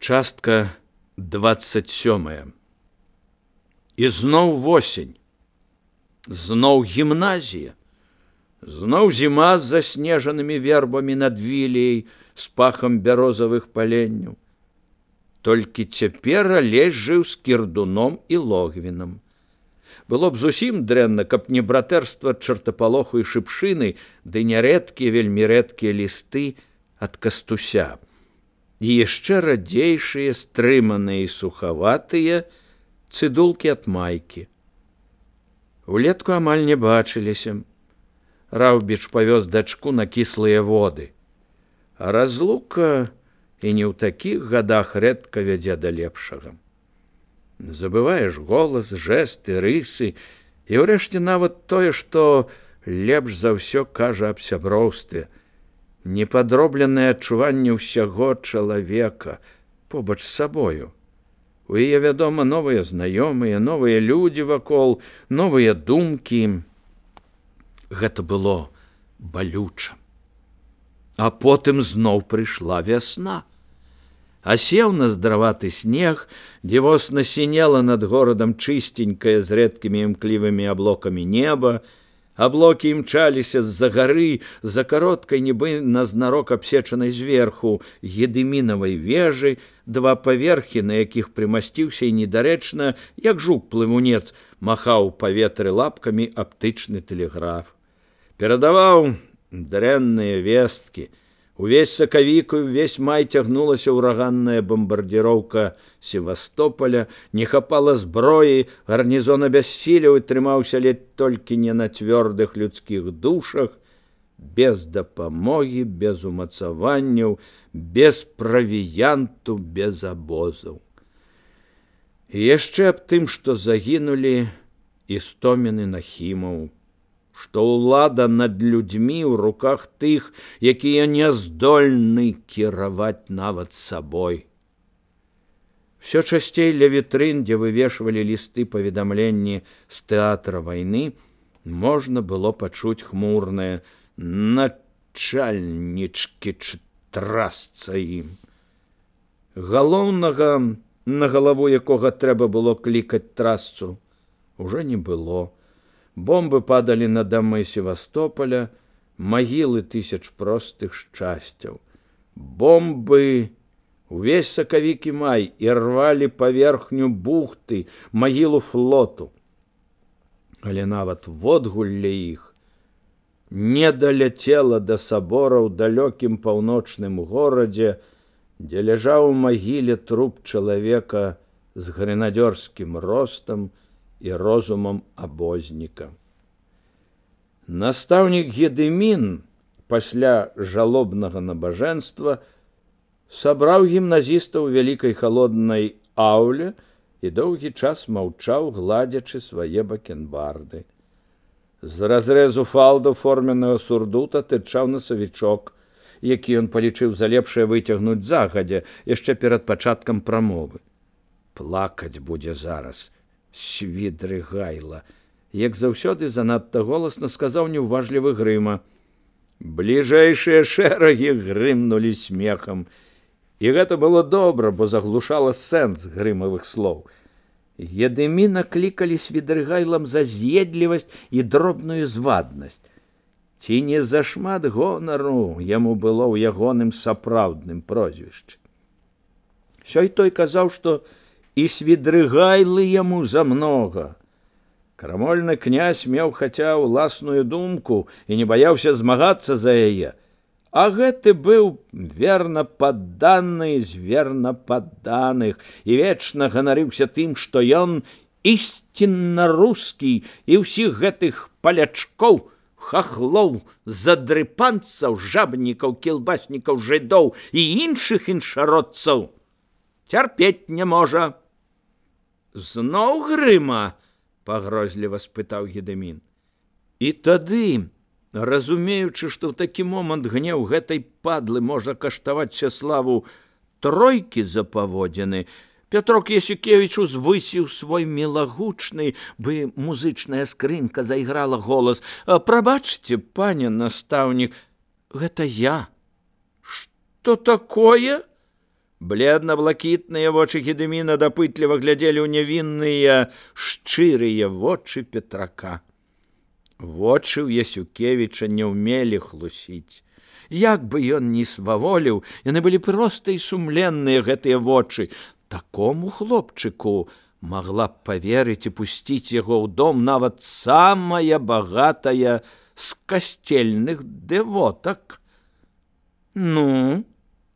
Частка 27. І зноў восень, зноў гімназія, зноў зіма з заснежанымі вербамі над вілеяй з пахам бярозавых паленняў. Толькі цяпер Алесь жыў з кірдуном і логвінам. Было б зусім дрэнна, каб не братэрства чартапалоху і шыпшыны, ды нярэдкія, вельмі рэдкія лісты ад Кастуся. І яшчэ радзейшыя, стрыманыя і сухаватыя цыдулкі ад майкі. Улетку амаль не бачыліся. Раўбіч павёз дачку на кіслыя воды. А разлука і не ў такіх гадах рэдка вядзе да лепшага. Забываеш голас, жэсты, рысы, і ўрэшце нават тое, што лепш за ўсё кажа аб сяброўстве, непадробленае адчуванне ўсяго чалавека побач з сабою. У яе, вядома, новыя знаёмыя, новыя людзі вакол, новыя думкі. Гэта было балюча. А потым зноў прыйшла вясна. Асеў наздараваты снег, дзівосна сінела над горадам чыстенькае з рэдкімі імклівымі аблокамі неба. Аблокі імчаліся з-за гары, за кароткай, нібы назнарок абсечанай зверху, гедымінавай вежы, два паверхі, на якіх прымасціўся і недарэчна, як жук-плывунец, махаў у паветры лапкамі аптычны тэлеграф. Перадаваў дрэнныя весткі. Увесь сакавік і ўвесь май цягнулася ўраганная бамбардзіроўка Севастополя, не хапала зброі, гарнізон абяссілеў і трымаўся ледзь толькі не на цвёрдых людскіх душах, без дапамогі, без умацаванняў, без правіянту, без абозаў. І яшчэ аб тым, што загінулі Істомін і Нахімаў, што ўлада над людзьмі ў руках тых, якія не здольны кіраваць нават сабой. Всё часцей ля вітрын, дзе вывешвалі лісты паведамленні з тэатра вайны, можна было пачуць хмурнае «начальнічкі трасца ім». Галоўнага, на галаву якога трэба было клікаць трасцу, ужо не было. Бомбы падалі на дамы Севастополя, магілы тысяч простых шчасцяў. Бомбы увесь сакавік і май і рвалі паверхню бухты, магілу флоту. Але нават водгулле іх не даляцела да сабора ў далёкім паўночным горадзе, дзе ляжаў у магіле труп чалавека з грэнадзёрскім ростам і розумам абозніка. Настаўнік Гедымін пасля жалобнага набажэнства сабраў гімназістаў у вялікай халоднай ауле і доўгі час маўчаў, гладзячы свае бакенбарды. З разрэзу фалдаў форменнага сурдута тырчаў насавічок, які ён палічыў за лепшае выцягнуць загадзя, яшчэ перад пачаткам прамовы. Плакаць будзе зараз. Свідрыгайла, як заўсёды занадта голасна сказаў неўважлівы Грыма. Бліжэйшыя шэрагі грымнулі смехам. І гэта было добра, бо заглушала сэнс грымавых слоў. Гедыміна клікалі Свідрыгайлам за з'едлівасць і дробную зваднасць. Ці не зашмат гонару яму было ў ягоным сапраўдным прозвішчы. Сёй той казаў, што і Свідрыгайлы яму замнога. Крамольны князь меў хаця ўласную думку і не баяўся змагацца за яе, а гэты быў верна падданы з верна падданых і вечна ганарыўся тым, што ён ісцінна рускі і ўсіх гэтых палячкоў, хахлоў, задрыпанцаў, жабнікаў, кілбаснікаў, жыдоў і іншых іншародцаў цярпець не можа. Зноў Грыма? Пагрозліва спытаў Гедымін. І тады, разумеючы, што ў такі момант гнеў гэтай падлы можа каштаваць Сяславу тройкі за паводзіны, Пятрок Ясюкевіч узвысіў свой мілагучны, бы музычная скрынка зайграла голас. «Прабачце, пане настаўнік, гэта я». «Што такое?» Бледна-блакітныя вочы Гедыміна дапытліва глядзелі ў нявінныя шчырыя вочы Петрака. Вочы ў Ясюкевіча не ўмелі хлусіць. Як бы ён ні сваволіў, яны былі проста і сумленныя, гэтыя вочы. Такому хлопчыку магла б паверыць і пусціць яго ў дом нават самая багатая з касцельных дэвотак. Ну,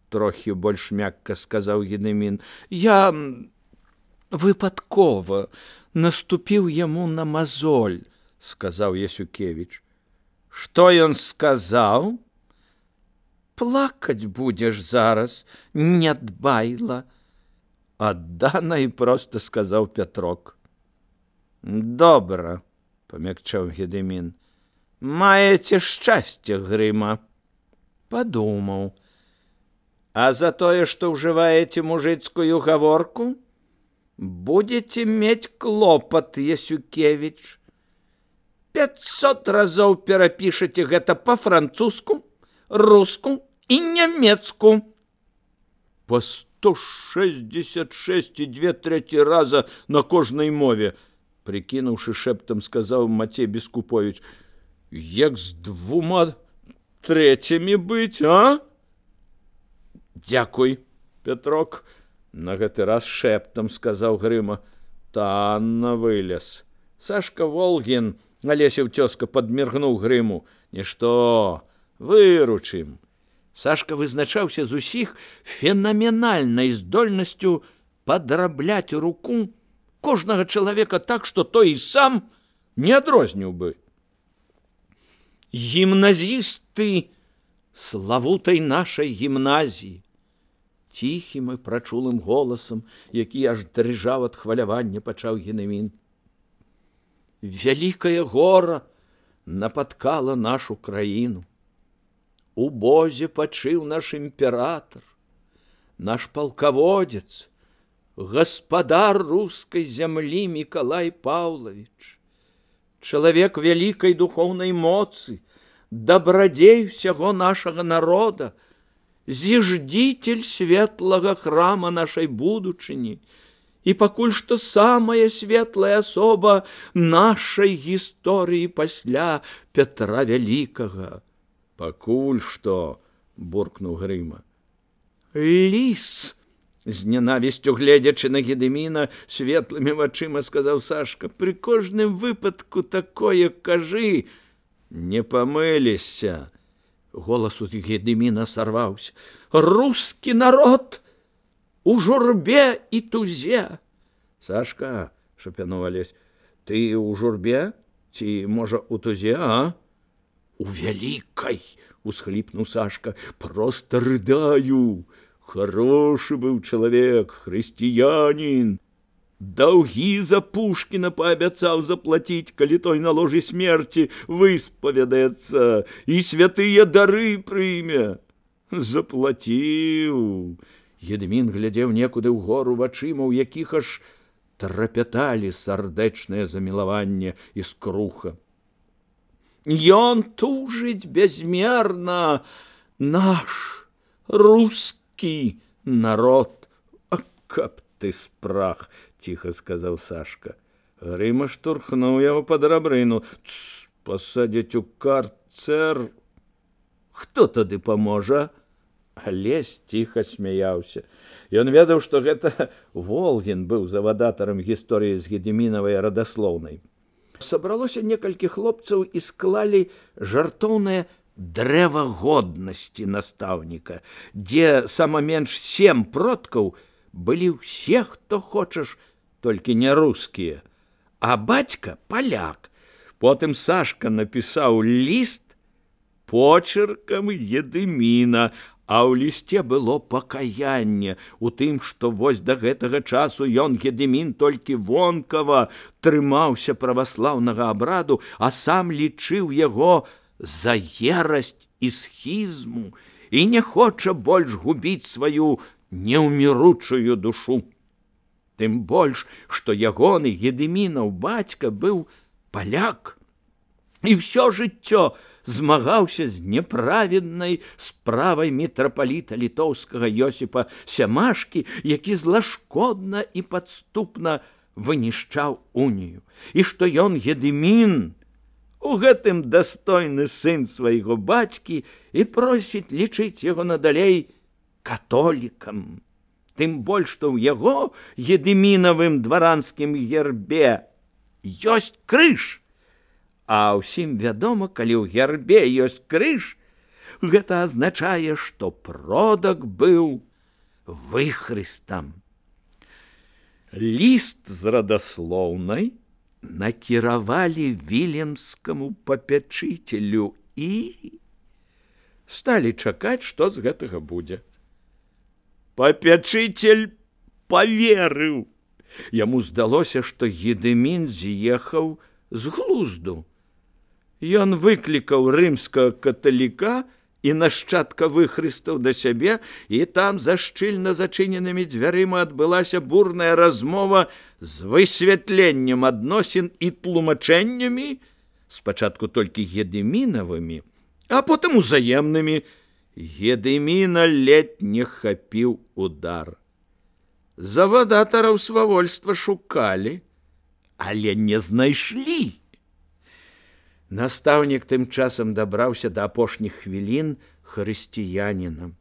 трохі больш мякка сказаў Гедымін, я выпадкова наступіў яму на мазоль, сказаў Ясюкевіч. Што ён сказаў? Плакаць будзеш зараз, нядбайла. Аддана і проста сказаў Пятрок. Добра, памякчаў Гедымін. Маеце шчасце, Грыма. Падумаў. А за тое, што ўжываеце мужыцкую гаворку, будете мець клопат, Ясюкевіч. 500 разоў перапішаце гэта па-французску, руску і нямецку. Па 166 і 2/3 раза на кожнай мове, прикінуўшы шэптам, сказаў Мацей Бескуповіч. Як з 2/3 быць, а? Дзякуй, Пятрок, на гэты раз шэптам сказаў Грыма. Танна вылез. Сашка Волгін, Алесеў цёзка, падміргнуў Грыму. Нішто, выручым. Сашка вызначаўся з усіх фенаменальнай здольнасцю падрабляць руку кожнага чалавека так, што той і сам не адрозніў бы. Гімназісты славутай нашай гімназіі, ціхім і прачулым голасам, які аж дрыжаў ад хвалявання, пачаў Гедымін. Вялікае гора напаткала нашу краіну. У бозе пачыў наш імператор, наш палкаводзец, гаспадар рускай зямлі Мікалай Паўлавіч, чалавек вялікай духоўнай моцы, дабрадзей усяго нашага народа, зіждзіцель светлага храма нашай будучыні і пакуль што самая светлая асоба нашай гісторыі пасля Пятра Вялікага. Пакуль што, буркнуў Грыма. Ліс, з нянавісцю гледзячы на Гедыміна, светлымі вачыма сказаў Сашка, пры кожным выпадку такое кажы. Не памылішся. Голас у Гедыміна сарваўся. Рускі народ у журбе і тузе. Сашка, шапянуў Алесь, ты у журбе? Ці, можа, у тузе, а? У вялікай, усхліпнуў Сашка, проста рыдаю. Хорошы быў чалавек, хрысціянін. Даўгі за Пушкіна паабяцаў заплаціць, калі той на ложы смерці выспавядаецца і святыя дары прыме. Заплаціў. Гедымін глядзеў некуды ўгору вачыма, у якіх аж трапяталі сардэчнае замілаванне і скруха. Ён тужыць безмерна, наш рускі народ. А каб ты спрах, ціха сказаў Сашка. Грыма штурхнуў яго пад рабрыну. Пасадзяць у карцэр. Хто тады паможа? Алесь ціха смяяўся. Ён ведаў, што гэта Волгін быў завадатарам гісторыі з Гедымінавай радаслоўнай. Сабралося некалькі хлопцаў і склалі жартоўнае дрэва годнасці настаўніка, дзе сама менш 7 продкаў былі ўсе, хто хочаш, толькі не рускія, а бацька паляк. Потым Сашка напісаў ліст почеркам Гедыміна, а ў лісце было пакаянне у тым, што вось да гэтага часу ён, Гедымін, толькі вонкава трымаўся праваслаўнага абраду, а сам лічыў яго за ерасць і схізму і не хоча больш губіць сваю неўміручую душу. Тым больш, што ягоны Гедымінаў бацька быў паляк. і ўсё жыццё змагаўся з няправеднай справай мітрапаліта літоўскага Йосіпа Сямашкі, які злашкодна і падступна вынішчаў унію, і што ён, Гедымін, у гэтым дастойны сын свайго бацькі і просіць лічыць яго надалей католікам. Тым больш, што ў яго, Гедымінавым дваранскім гербе, ёсць крыж. А ўсім вядома, калі ў гербе ёсць крыж, гэта азначае, што продак быў выхрыстам. Ліст з радаслоўнай накіравалі віленскаму папячыцелю і сталі чакаць, што з гэтага будзе. Папячыцель паверыў. Яму здалося, што Гедымін з'ехаў з глузду. Ён выклікаў рымскага каталіка і нашчадка выхрыстаў да сябе, і там за шчыльна зачыненымі дзвярыма адбылася бурная размова з высвятленнем адносін і тлумачэннямі, спачатку толькі Гедымінавымі, а потым узаемнымі. Гедыміна ледь не хапіў удар. Завадатараў свавольства шукалі, але не знайшлі. Настаўнік тым часам дабраўся да апошніх хвілін хрысціяніна.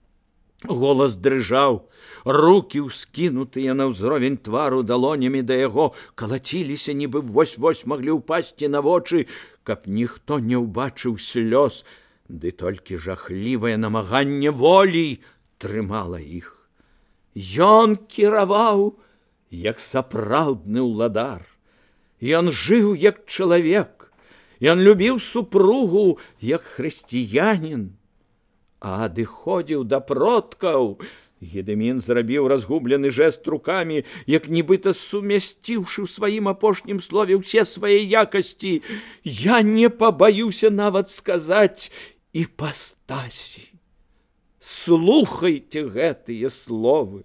Голас дрыжаў, рукі, ўскінутыя на ўзровень твару далонямі да яго, калаціліся, нібы вось-вось маглі ўпасці на вочы, каб ніхто не ўбачыў слёз, ды толькі жахлівае намаганне волі трымала іх. Ён кіраваў, як сапраўдны ўладар. Ён жыў, як чалавек. Ён любіў супругу, як хрысціянін. А адыходзіў да продкаў. Гедымін зрабіў разгублены жэст рукамі, як нібыта сумясціўшы ў сваім апошнім слове ўсе свае якасці. Я не пабаюся нават сказаць іпастасі. Слухайце гэтыя словы.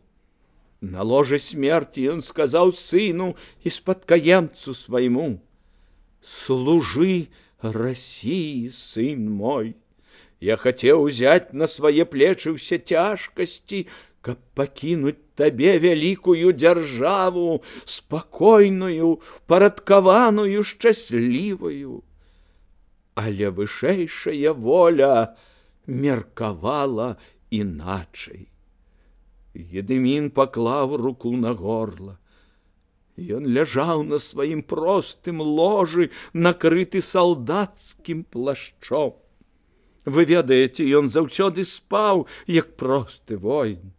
На ложы смерти ён сказаў сыну і спадкаемцу свайму: «Служи России, сын мой. Я хотел взять на свае плечы ўсе цяжкасці, каб пакінуць табе вялікую дзяржаву, спакойную, парадкаваную, шчаслівую. Але вышэйшая воля меркавала іначай». Гедымін паклаў руку на горла. Ён ляжаў на сваім простым ложы, накрыты салдацкім плашчом. Вы ведаеце, ён заўсёды спаў, як просты воін.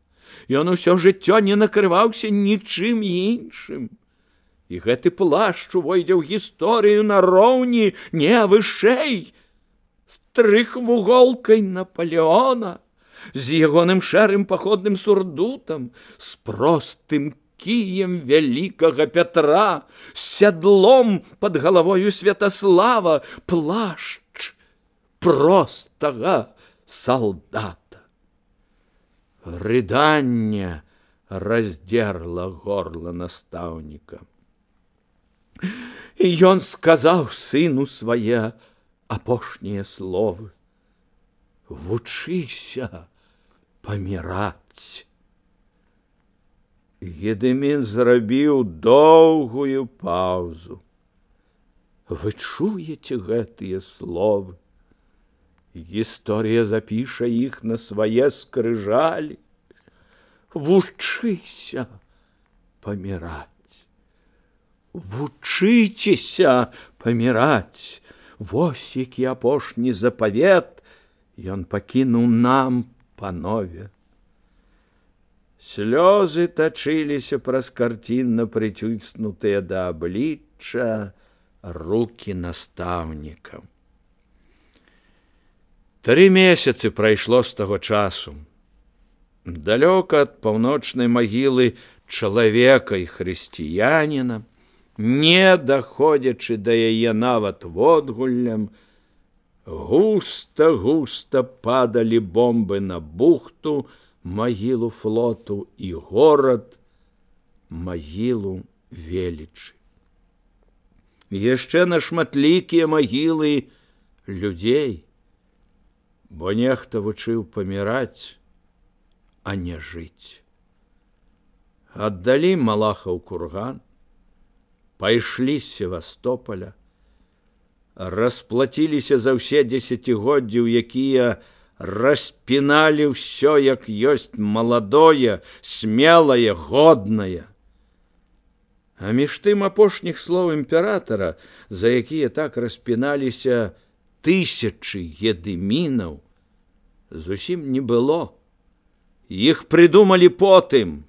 Ён усё жыццё не накрываўся нічым іншым. І гэты плашч увойдзе ў гісторыю нароўні, не вышэй, з трохвуголкай Наполеона, з ягоным шэрым паходным сурдутам, з простым кіем вялікага Пятра, з сядлом пад галавою Святаслава, плашч простага салдата. Рыданне раздзерла горла настаўніка. І ён сказаў сыну свае апошнія словы: «Вучыся паміраць». Гедымін зрабіў доўгую паўзу. Вы чуеце гэтыя словы? Гісторыя запіша іх на свае скрыжалі. Вучыся паміраць. Вучыцеся паміраць. Вось які апошні запавет ён пакінуў нам, панове. Слёзы тачыліся праз карцінна прыціснутыя да аблічча рукі настаўніка. 3 месяцы прайшло з таго часу. Далёка ад паўночнай магілы чалавека і хрысціяніна, не даходзячы да яе нават водгуллем, густа-густа падалі бомбы на бухту, магілу флоту і горад, магілу велічы. Яшчэ на шматлікія магілы людзей, бо нехта вучыў паміраць, а не жыць. Аддалі Малахаў курган, пайшлі з Севастополя, расплаціліся за ўсе дзесяцігоддзі, у якія распіналі ўсё, як ёсць маладое, смелае, годнае. А між тым апошніх слоў імператара, за якія так распіналіся тысячы гедымінаў, зусім не было. Іх прыдумалі потым,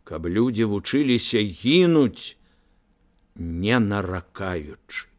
каб людзі вучыліся гінуць, не наракаючы.